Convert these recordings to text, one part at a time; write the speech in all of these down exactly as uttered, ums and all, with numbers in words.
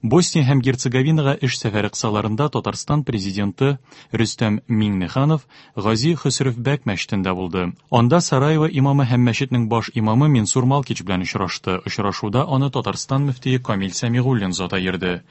Босния һәм Герцеговинага эш сәфәре кысаларында Татарстан президенты Рөстәм Миңнеханов Гази Хөсревбәк мәчетендә булды. Анда Сараево имамы һәм мәчетнең баш имамы Менсур Малкич белән очрашты. Очрашуда аны Татарстан мөфтие Камил Сәмигуллин заты йөрде.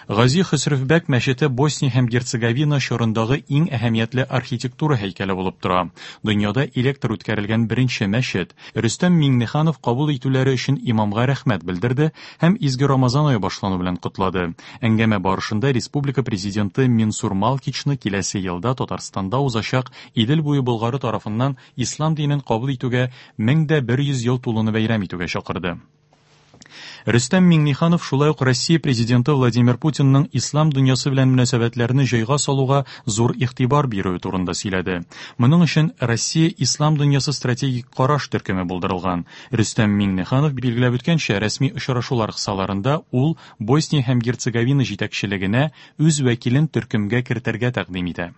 Гази Хөсревбәк мәчете Босния һәм Герцеговина чорындагы иң әһәмиятле архитектура һәйкәле булып тора. Дөньяда электр үткәрелгән беренче мәчет. Рөстәм Миңнеханов кабул итүләре өчен имамга рәхмәт белдерде һәм изге Рамазан ае башлану белән котлады. Әңгәмә барышында республика президенты Менсур Малкичны киләсе елда Татарстанда узачак Идел буе Болгары тарафыннан ислам динен кабул итүгә мең дә бер йөз ел тулуны бәйрәм итүгә чакырды. Рөстәм Миңнеханов шулай ук Россия президенты Владимир Путинның ислам дөньясы белән мөнәсәбәтләрне җайга салуга зур игътибар бирүе турында сөйләде. Моның өчен Россия ислам дөньясы стратегик караш төркеме булдырылган. Рөстәм Миңнеханов билгеләп үткәнчә, рәсми очрашулар кысаларында ул Босния һәм Герцеговина җитәкчелегенә үз вәкилен төркемгә кертергә тәкъдим итә.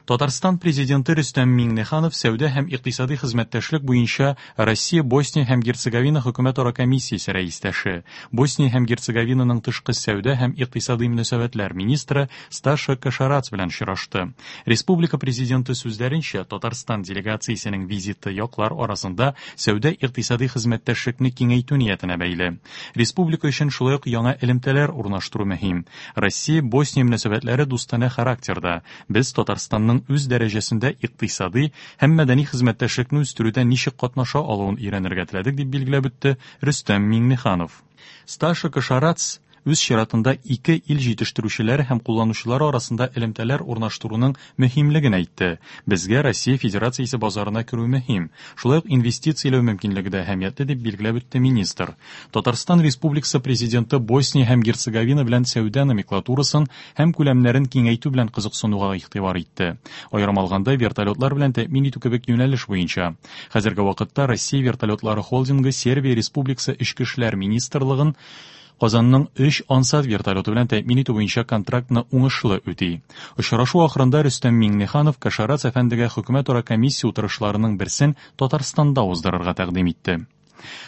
Татарстан президенты Рөстәм Миңнеханов сәүдә һәм икътисади хезмәттәшлек буенча Россия, Босния һәм Герцеговина хөкүмәтара комиссиясе рәистәше, Босния һәм Герцеговинаның тышкы сәүдә һәм икътисади мөнәсәбәтләр министры Сташа Кашарац белән очрашты. Республика президенты сүзләренчә, Татарстан делегациясенең визиты яклар арасында сәүдә икътисади хезмәттәшлекне киңәйтү ниятенә бәйле. Республика өчен шулай ук яңа элемтәләр урнаштыру мөһим. Россия, Босния мөнәсәбәтләре дустанә характерда. Без Татарстанның үз дәрәҗәсендә икътисади һәм мәдәни хезмәттәшлекне үстерүдә ничек катнаша алуын өйрәнергә теләдек, дип билгеләп үтте Рөстәм Миңнеханов. Сташа Кашарац үз чиратында ике ил җитештерүчеләре һәм кулланучылары арасында элемтәләр урнаштыруның мөһимлеген әйтте. Безгә Россия Федерациясе базарына керү мөһим. Шулай ук инвестицияләү мөмкинлеге дә әһәмиятле, дип билгеләп үтте министр. Татарстан Республикасы президенты Босния һәм Герцеговина белән сәүдә номенклатурасын һәм күләмнәрен киңәйтү белән кызыксынуга игътибар итте. Аерым алганда, вертолетлар белән тәэмин итү кебек юнәлеш буенча. Хәзерге вакытта Россия вертолетлары холдингы Сербия Республикасы Эчке эшләр министрлыгын Казанның өч Ансат вертолеты белән тәэмин итү буенча контрактны уңышлы үти. Очрашу ахырында Рөстәм Миңнеханов Кашарац әфәндегә хөкүмәтара комиссия утырышларының берсен Татарстанда уздырырга тәкъдим итте.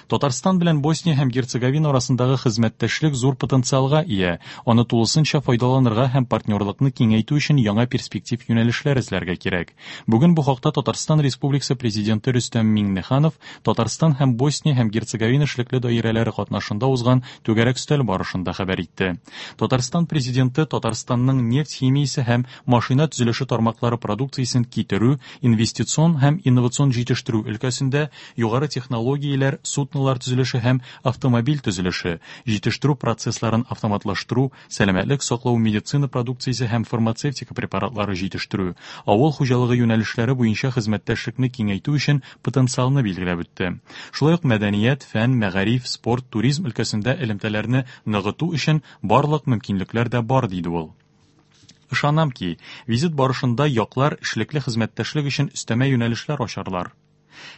Татарстан белән Босния һәм Герцеговина арасындагы хезмәттәшлек зур потенциалга ия. Аны тулысынча файдаланырга һәм партнерлыкны киңәйтү өчен яңа перспектив юнәлешләр эзләргә кирәк. Бүген бу хакта Татарстан Республикасы президенты Рөстәм Миңнеханов Татарстан һәм Босния һәм Герцеговина эшлекле даирәләре катнашында узган түгәрәк өстәл барышында хәбәр итте. Татарстан президенты Татарстанның нефть химиясе һәм машина төзелеше тармаклары продукциясен китерү, инвестицион һәм инновацион җитештерү өлкәсендә югары технологияләр, суднолар төзелеше һәм автомобиль төзелеше, җитештерү процессларын автоматлаштыру, сәламәтлек саклау, медицина продукциясе һәм фармацевтика препаратлары җитештерү, авыл хуҗалыгы юнәлешләре буенча хезмәттәшлекне киңәйтү өчен потенциалны билгеләп үтте. Шулай ук мәдәният, фән, мәгариф, спорт, туризм өлкәсендә элемтәләрне ныгыту өчен барлык мөмкинлекләр дә бар, диде ул. Ышанам ки, визит барышында яклар эшлекле хезмәттәшлек өчен өстәмә юнәлешләр ачарлар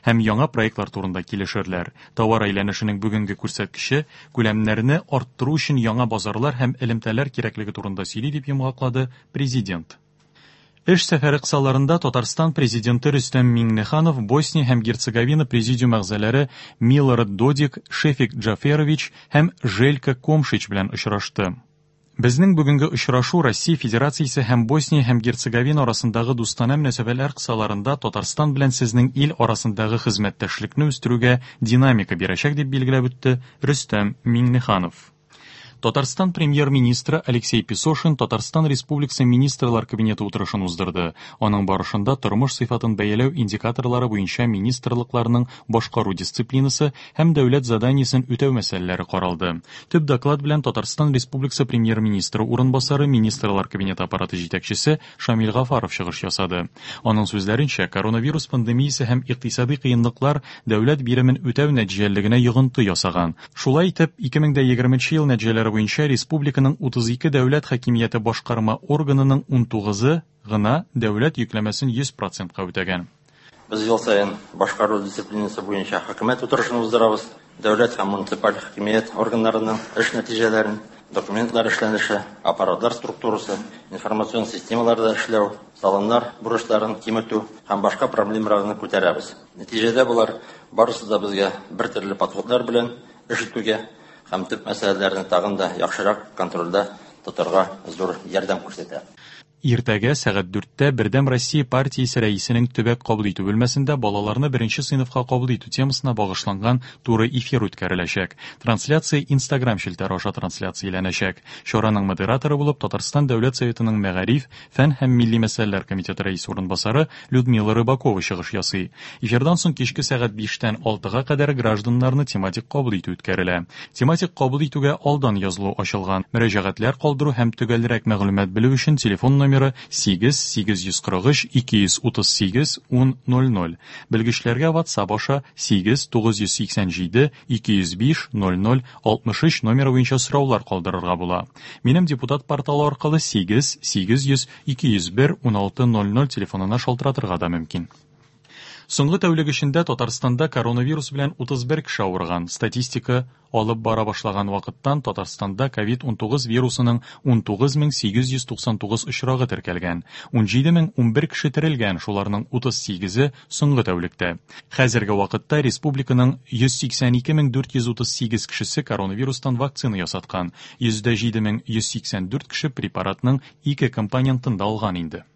һәм яңа проектлар турында килешерләр. Товар әйләнешенең бүгенге күрсәткече күләмнәрне арттыру өчен яңа базарлар һәм элемтәләр кирәклеге турында сөйли, дип йомгаклады президент. Эш сәфәре кысаларында Татарстан президенты Рөстәм Миңнеханов Босния һәм Герцеговина президиум әгъзалары Милорад Додик, Шефик Джаферович һәм Желька Комшич белән очрашты. Безнең бүгенге очрашу Россия Федерациясе һәм Босния һәм Герцеговина арасындагы дустанә мөнәсәбәтләр кысаларында Татарстан белән сезнең ил арасындагы хезмәттәшлекне үстерүгә динамика бирәчәк, дип билгеләп үтте Рөстәм Миңнеханов. Татарстан премьер-министры Алексей Песошин Татарстан Республикасы Министрлар Кабинеты утырышын уздырды. Аның барышында тормыш сыйфатын бәяләү индикаторлары буенча министрлыкларның башкару дисциплинасы һәм дәүләт заданиесен үтәү мәсьәләләре каралды. Төп доклад белән Татарстан Республикасы премьер-министры урынбасары, Министрлар Кабинеты аппараты җитәкчесе Шамил Гафаров чыгыш ясады. Аның сүзләренчә, коронавирус пандемиясе һәм икътисади кыенлыклар дәүләт биремен үтәү нәтиҗәлелегенә йогынты ясаган. Шулай итеп, ике мең егерменче ел нәтиҗәләре буенча республиканың утыз ике дәүләт хакимияте башкарма органының ун тугызы гына дәүләт йөкләмәсен йөз процентка үтәгән. Без ел саен башкару дисциплинасы буенча хөкүмәт утырышын уздырабыз. Дәүләт һәм муниципаль хакимият органнарының эш нәтиҗәләрен, документлар эшләнеше, аппаратлар структурасы, информацион системаларда эшләү, салымнар бурычларын киметү һәм башка проблемаларны күтәрәбез. Нәтиҗәдә болар барысы да безгә бер төрле подходлар белән эш итүгә һәм төп мәсьәләләрне тагын да яхшырак контрольдә тотарга зур ярдәм күрсәтә. Иртәгә сәгать дүрттә Бердәм Россия партиясе рәисенең төбәк кабул итү бүлмәсендә балаларны беренче сыйныфка кабул итү темасына багышланган туры эфир үткәреләчәк. Трансляция Instagram челтәре аша трансляцияләнәчәк. Чараның модераторы булып Татарстан Дәүләт Советының мәгариф, фән һәм милли мәсьәләләр комитеты рәисе урынбасары Людмила Рыбакова чыгыш ясый. Эфирдан соң кичке сәгать биштән алтыга кадәр гражданнарны тематик кабул итү үткәрелә. Тематик кабул итүгә алдан язылу ачылган. Мөрәҗәгатьләр калдыру һәм төгәлрәк мәгълүмат белү өчен телефон номеры сигез сигез йөз кырык өч ике йөз утыз сигез ун ноль ноль. Белгечләргә WhatsApp аша сигез тугыз йөз сиксән җиде ике йөз биш ноль ноль алтмыш өч номеры буенча сораулар калдырырга була. Минем депутат порталы аркылы сигез сигез йөз ике йөз бер ун алты ноль ноль телефонына шалтыратырга да мөмкин. Соңгы тәүлек эчендә Татарстанда коронавирус белән утыз бер кеше авырган. Статистика алып бара башлаган вакыттан Татарстанда ковид унтугыз вирусының унтугыз мең сигез йөз туксан тугыз очрагы теркәлгән. Унҗиде мең унбер кеше терелгән, шуларның утыз сигезе соңгы тәүлектә. Хәзерге вакытта республиканың йөз сиксән ике мең дүрт йөз утыз сигез кешесе коронавирустан вакцина ясаткан. Йөздә җиде мең йөз сиксән дүрт кеше препаратның ике компонентын да алган инде.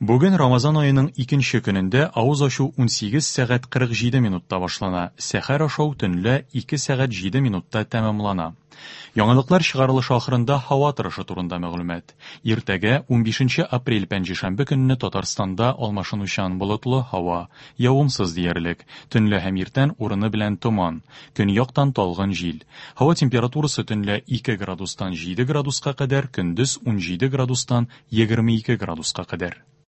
Бүген Рамазан аеның икенче көнендә авыз ачу унсигез сәгать кырык җиде минутта башлана. Сәхәр ашау төнлә ике сәгать җиде минутта тәмамлана. Яңалыклар чыгарылышы ахырында һава торышы турында мәгълүмат. Иртәгә унбишенче апрель пәнҗешәмбе көнне Татарстанда алмашынучан болытлы һава, явымсыз диярлек. Төнлә һәм иртән урыны белән томан, көньяктан талгын җил. Һава температурасы төнлә ике градустан җиде градуска кадәр, көндез унҗиде градустан егерме ике градуска кадәр.